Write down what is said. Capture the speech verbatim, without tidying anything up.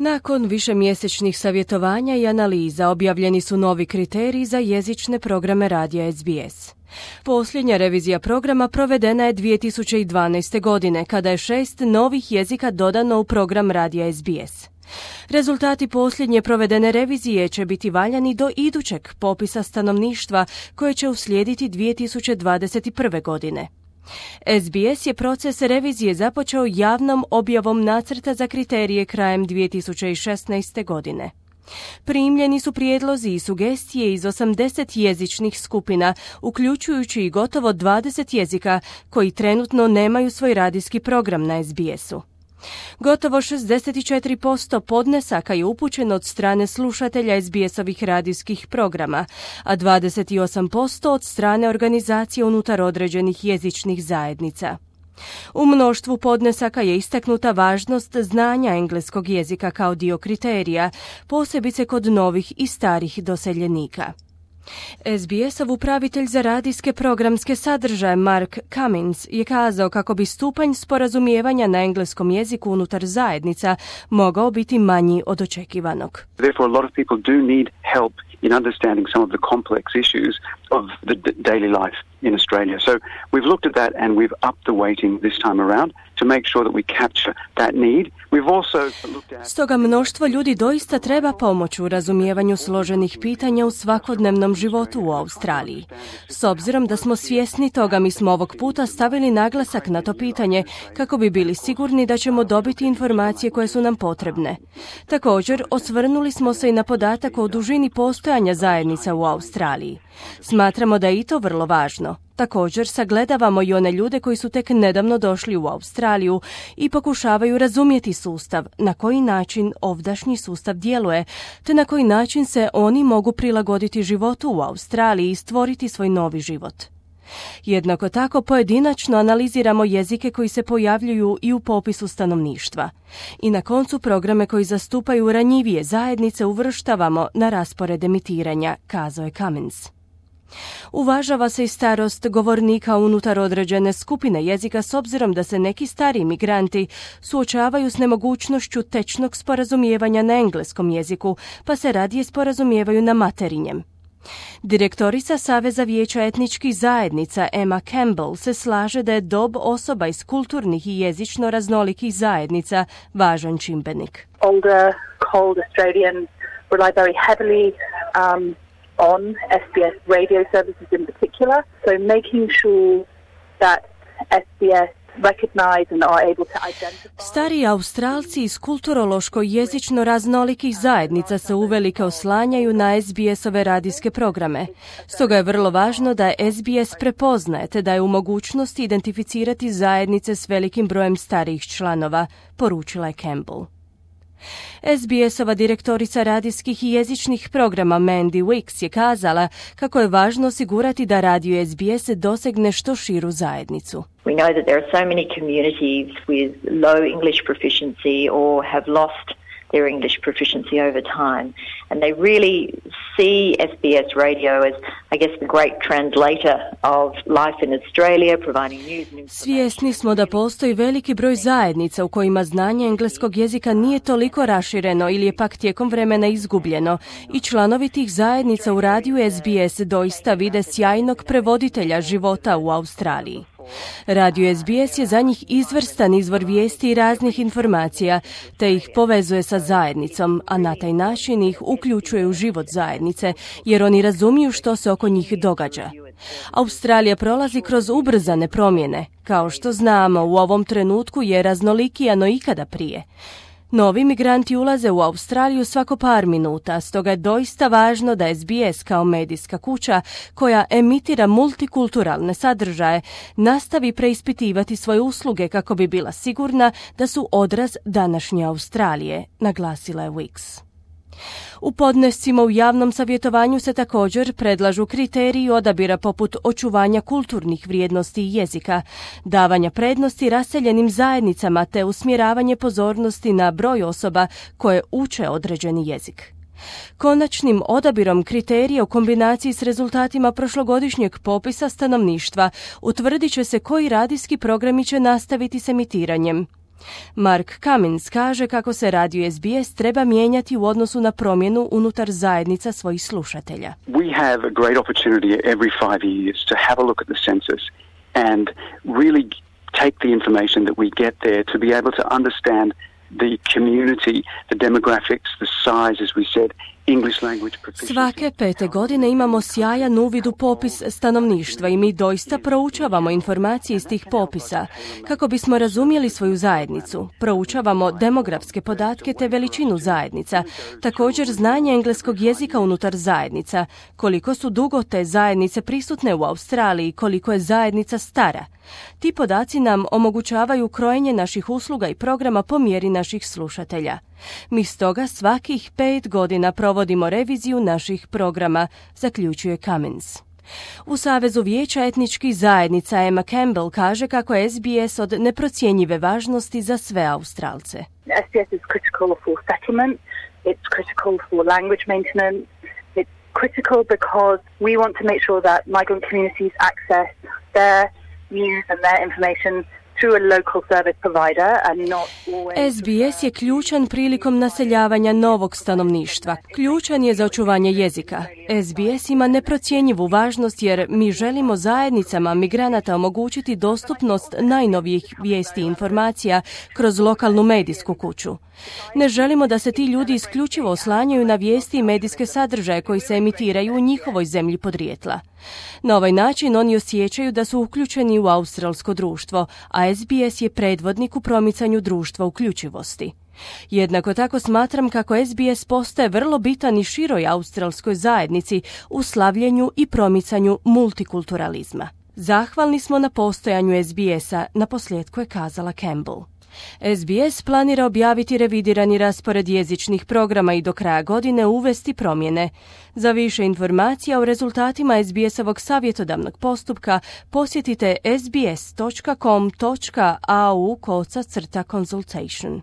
Nakon višemjesečnih savjetovanja i analiza objavljeni su novi kriteriji za jezične programe radija S B S. Posljednja revizija programa provedena je dvije tisuće dvanaeste. godine, kada je šest novih jezika dodano u program radija S B S. Rezultati posljednje provedene revizije će biti valjani do idućeg popisa stanovništva koje će uslijediti dvije tisuće dvadeset prve. godine. S B S je proces revizije započeo javnom objavom nacrta za kriterije krajem dvije tisuće šesnaeste. godine. Primljeni su prijedlozi i sugestije iz osamdeset jezičnih skupina, uključujući i gotovo dvadeset jezika koji trenutno nemaju svoj radijski program na S B S-u. Gotovo šezdeset četiri posto podnesaka je upućeno od strane slušatelja S B S-ovih radijskih programa, a dvadeset osam posto od strane organizacije unutar određenih jezičnih zajednica. U mnoštvu podnesaka je istaknuta važnost znanja engleskog jezika kao dio kriterija, posebice kod novih i starih doseljenika. S B S-ov upravitelj za radijske programske sadržaje Mark Cummins je kazao kako bi stupanj sporazumijevanja na engleskom jeziku unutar zajednica mogao biti manji od očekivanog. Therefore, a lot of people do need help in understanding some of the complex issues of the d- daily life in Australia. So we've looked at that and we've upped the weighting this time around to make sure that we capture that need. We've also looked at... Stoga mnoštvo ljudi doista treba pomoć u razumijevanju složenih pitanja u svakodnevnom životu u Australiji. S obzirom da smo svjesni toga, mi smo ovog puta stavili naglasak na to pitanje kako bi bili sigurni da ćemo dobiti informacije koje su nam potrebne. Također, osvrnuli smo se i na podatak o dužini postojanja zajednica u Australiji. Smatramo da je i to vrlo važno. Također sagledavamo i one ljude koji su tek nedavno došli u Australiju i pokušavaju razumjeti sustav, na koji način ovdašnji sustav djeluje, te na koji način se oni mogu prilagoditi životu u Australiji i stvoriti svoj novi život. Jednako tako pojedinačno analiziramo jezike koji se pojavljuju i u popisu stanovništva. I na koncu programe koji zastupaju ranjivije zajednice uvrštavamo na raspored emitiranja, kazao je Cummins. Uvažava se i starost govornika unutar određene skupine jezika s obzirom da se neki stariji migranti suočavaju s nemogućnošću tečnog sporazumijevanja na engleskom jeziku, pa se radije sporazumijevaju na materinjem. Direktorica Saveza vijeća etničkih zajednica Emma Campbell se slaže da je dob osoba iz kulturnih i jezično raznolikih zajednica važan čimbenik. Older, cold Australians rely very heavily um, on S B S radio services in particular, so making sure that S B S recognize and are able to identify. Stari Australci iz kulturološko-jezično raznolikih zajednica se uvelike oslanjaju na S B S-ove radijske programe. Stoga je vrlo važno da S B S prepoznaje te da je u mogućnosti identificirati zajednice s velikim brojem starijih članova, poručila je Campbell. S B S-ova direktorica radijskih i jezičnih programa Mandy Wicks je kazala kako je važno osigurati da radio S B S dosegne što širu zajednicu. We know that there are so many communities with low English proficiency or have lost their English proficiency over time, and they really see S B S radio as, I guess, the great translator of life in Australia, providing news and information. Svjesni smo da postoji veliki broj zajednica u kojima znanje engleskog jezika nije toliko rašireno ili je pak tijekom vremena izgubljeno i članovi tih zajednica u radiju S B S doista vide sjajnog prevoditelja života u Australiji. Radio S B S je za njih izvrstan izvor vijesti i raznih informacija, te ih povezuje sa zajednicom, a na taj način ih uključuje u život zajednice, jer oni razumiju što se oko njih događa. Australija prolazi kroz ubrzane promjene. Kao što znamo, u ovom trenutku je raznolikija no ikada prije. Novi migranti ulaze u Australiju svako par minuta, stoga je doista važno da S B S kao medijska kuća koja emitira multikulturalne sadržaje nastavi preispitivati svoje usluge kako bi bila sigurna da su odraz današnje Australije, naglasila je Wicks. U podnescima u javnom savjetovanju se također predlažu kriteriji odabira poput očuvanja kulturnih vrijednosti i jezika, davanja prednosti raseljenim zajednicama te usmjeravanje pozornosti na broj osoba koje uče određeni jezik. Konačnim odabirom kriterija u kombinaciji s rezultatima prošlogodišnjeg popisa stanovništva utvrdit će se koji radijski programi će nastaviti s emitiranjem. Mark Cummins kaže kako se radio S B S treba mijenjati u odnosu na promjenu unutar zajednica svojih slušatelja. We have a great opportunity every five years to have a look at the census and really take the information that we get there to be able to understand the community, the demographics, the size, as we said, English language proficiency. Svake pete godine imamo sjajan uvid u popis stanovništva i mi doista proučavamo informacije iz tih popisa kako bismo razumjeli svoju zajednicu. Proučavamo demografske podatke te veličinu zajednica, također znanje engleskog jezika unutar zajednica, koliko su dugo te zajednice prisutne u Australiji, koliko je zajednica stara. Ti podaci nam omogućavaju krojenje naših usluga i programa po mjeri naših slušatelja. Mi stoga svakih pet godina provodimo reviziju naših programa, zaključuje Cummins. U Savezu vijeća etničkih zajednica Emma Campbell kaže kako je S B S od neprocjenjive važnosti za sve Australce. S B S is critical for settlement, it's critical for language maintenance, it's critical because we want to make sure that migrant communities access their news and their information through a local service provider and not always... S B S je ključan prilikom naseljavanja novog stanovništva. Ključan je za očuvanje jezika. S B S ima neprocjenjivu važnost jer mi želimo zajednicama migranata omogućiti dostupnost najnovijih vijesti i informacija kroz lokalnu medijsku kuću. Ne želimo da se ti ljudi isključivo oslanjaju na vijesti i medijske sadržaje koji se emitiraju u njihovoj zemlji podrijetla. Na ovaj način oni osjećaju da su uključeni u australsko društvo, a S B S je predvodnik u promicanju društva uključivosti. Jednako tako smatram kako S B S postaje vrlo bitan i široj australskoj zajednici u slavljenju i promicanju multikulturalizma. Zahvalni smo na postojanju S B S-a, naposljetku je kazala Campbell. S B S planira objaviti revidirani raspored jezičnih programa i do kraja godine uvesti promjene. Za više informacija o rezultatima S B S-ovog savjetodavnog postupka posjetite sbs dot com dot a u kosacrta consultation.